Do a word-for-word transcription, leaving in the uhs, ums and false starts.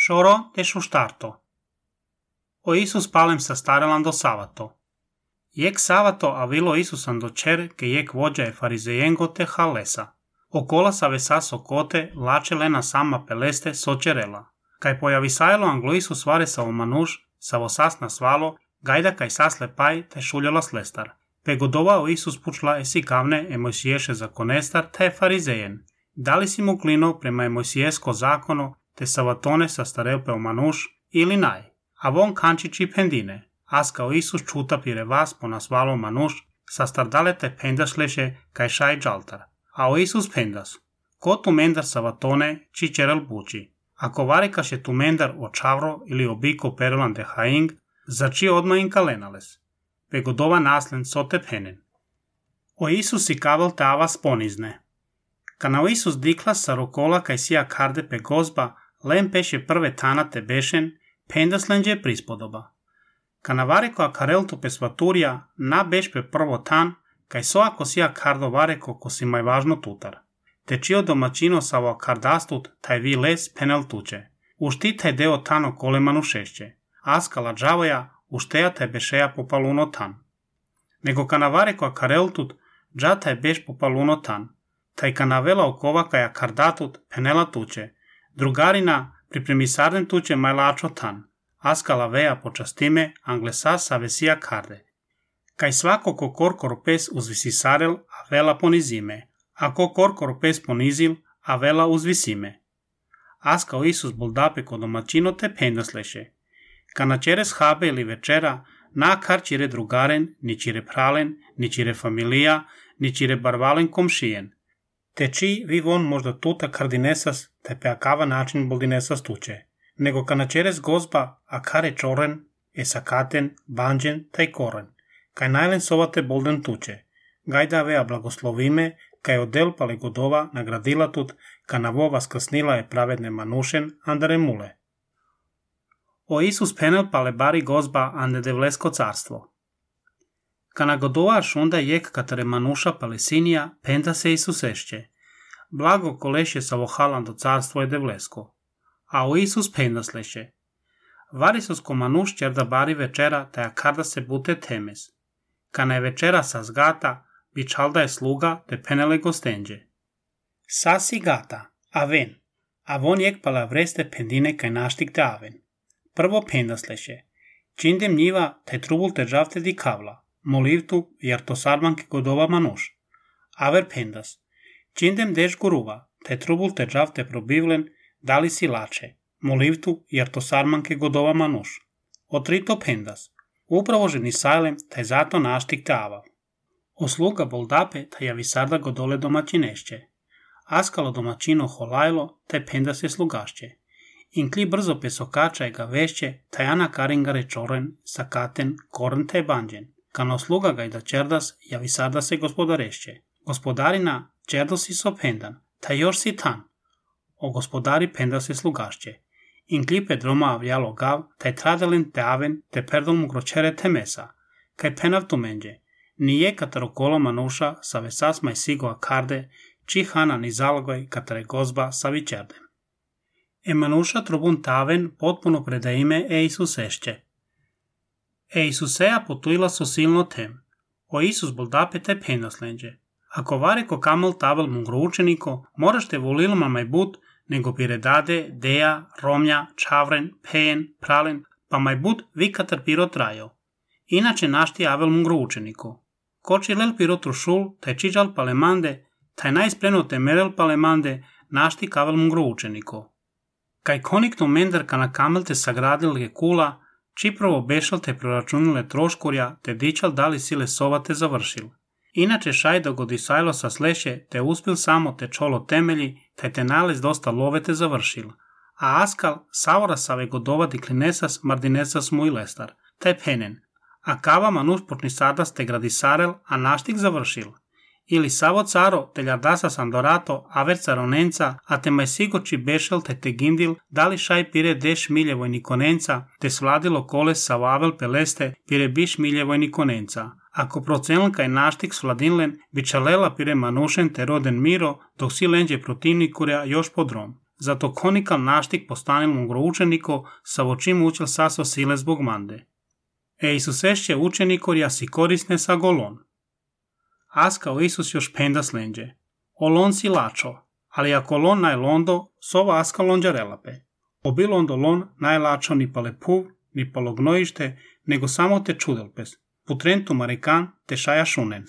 Soro de sustarto. O Iisus palem sa starelan do savato. Jek savato avilo Isusan do cer ke jek vođa e farizejengo te halesa. Okola sa vesa sokote lače lena sama peleste socerela. Kaj pojavisajlo anglo Isus vare sa omanuš, sa vosas na svalo, gajda kaj sasle paj te šuljala slestar. Pe godovao Isus pučla esi kavne e Mojsiješe zakonestar te farizejen. Dali si mu klino prema e Mojsijesko zakono te savatone sa starel pe omanuš ili naj. A von kančići pendine. As kao Isus čuta pire vas po nasvalo manuš, sa stardale te pendasleše kaj šaj džaltar. A o Isus pendas. Ko tu mendar savatone či čerel buči. Ako varekaše tu mendar o čavro ili obiko perelan de haing, za či odma in kalenales. Pe godova naslen sote penen. O Isus i kavel te avas ponizne. Kana o Isus diklas sa rokola kaj sija karde pe gozba, len peše prve tanate bešen, pendas lenđe prispodoba. Kana vareko a kareltu pe svaturja, na beš pe prvo tan, kaj so ako sija kardo vareko ko si maj važno tutar. Te čio domaćino sa ova kardastut, taj vi les penel tuče. Ušti taj deo tano kolemanu šešće. Askala džavoja, ušteja taj bešeja popaluno tan. Nego kana vareko a kareltut, dža taj beš popaluno tan. Taj kana vela okova kaja kardatut penela tuče. Drugarina pripremisarden tuče majlačo tan. Askala veja počastime anglesa sa vesija karde. Kaj svako ko korkor pes uzvisisarel, a vela ponizime. A ko korkor pes ponizil, a vela uzvisime. Askao Isus boldape ko domaćino te pendasleše. Kana čeres habe ili večera, na kar čire drugaren, ni čire pralen, ni čire familija, ni čire barvalen komšijen. Te či vi von možda tuta kardinesas, te pe akava način boldinesas tuče. Nego kana čeres gozba, a kare čoren, e sakaten, banđen, taj koren. Kaj najlen sovate bolden tuče. Gajda vea blagoslovime, kaj odel pale godova nagradila tut, kana vova skrsnila je pravedne manušen, andare mule. O Isus penel pale bari gozba ande devlesko carstvo. Kana godova šunda jek katare manuša palesinija, penda se Isusešće. Blago koleše sa vohalan do carstvo je devlesko. A o Isus pendasleše. Varisosko manuš čerda bari večera, taja karda se bute temes. Kana je večera sa zgata, bičalda je sluga te penele gostenđe. Sasi gata, aven, a von jek pala vreste pendine kaj naštik te aven. Prvo pendasleše. Čindem njiva taj trubul te džavte di kavla, molivtu jer to sarmanke godova manuš. Aver pendas. Čindem deš guruva, taj trubul te džavte probivlen, dali si lače, molivtu jer to sarmanke godova manuš. Otrito pendas. Upravo ženi sajlem taj zato naštik te avav. Osluga boldape taj javisarda godole domaćinešće. Askalo domaćino holajlo taj penda se slugašće. Inkli brzo pesokača je ga vešće taj ana karingare čoren, sakaten, koren taj banđen. Kano sluga ga i da čerdas javisarda se gospodarešće. Gospodarina čerdo si so pendan, taj još si tan. O gospodari penda se slugašće. Inkli pedroma avljalo gav, taj tradelen te aven te perdol mu gročere te mesa. Kaj penav tu menđe. Nije kataro kolo manuša sa vesas maj sigoa karde, či hana ni zalogoj katare gozba sa vičerdem. E manuša trubun taven potpuno predaime e Isusešće. E Isuseja potuila so silno tem. O Isus boldape te pendaslenđe. Ako vareko kamel tavel mungro učeniko, moraš te volilma maj but, nego piredade, deja, romja, čavren, pejen, pralen, pa maj but vi katar piro trajo. Inače našti avel mungro učeniko. Koči lel piro trušul, taj čiđal palemande, taj najspreno te merel palemande, našti kavel mungro učeniko. Kaj konikno mendar kana kamel te sagradil je kula, čiprovo bešal te proračunile troškurja, te dičal dali sile sova te završil. Inače šaj dogodisajlo sa sleše, te uspil samo te čolo temelji, taj te nalez dosta love te završil. A askal savora save godova diklinesas mardinesas mu i lestar, taj penen. A kava manuš počni sadas te gradisarel, a naštik završil. Ili savo caro te ljardasa sandorato, aver caronenca, a te maj sigoči bešel te te gindil, dali šaj pire deš miljevoj nikonenca, te svladilo koles sa vavel peleste, pire biš miljevoj nikonenca. Ako procenlka je naštik svladinlen, bičalela pire manušen te roden miro, dok si lenđe protivnikurja još podrom. zato konikal naštik postanilom gro učeniko, sa vočim učil saso sile zbog mande. E Isus ešće učenikor jasi korisne sa golon. Aska o Isus još penda slenđe. Olon si lačo, ali ako lon naj londo, sova aska lonđa relape. Obilo ondo lon najlačo ni pale puv, ni palo gnojište, nego samo te čudelpes. Putrentu marikan te šaja šunen.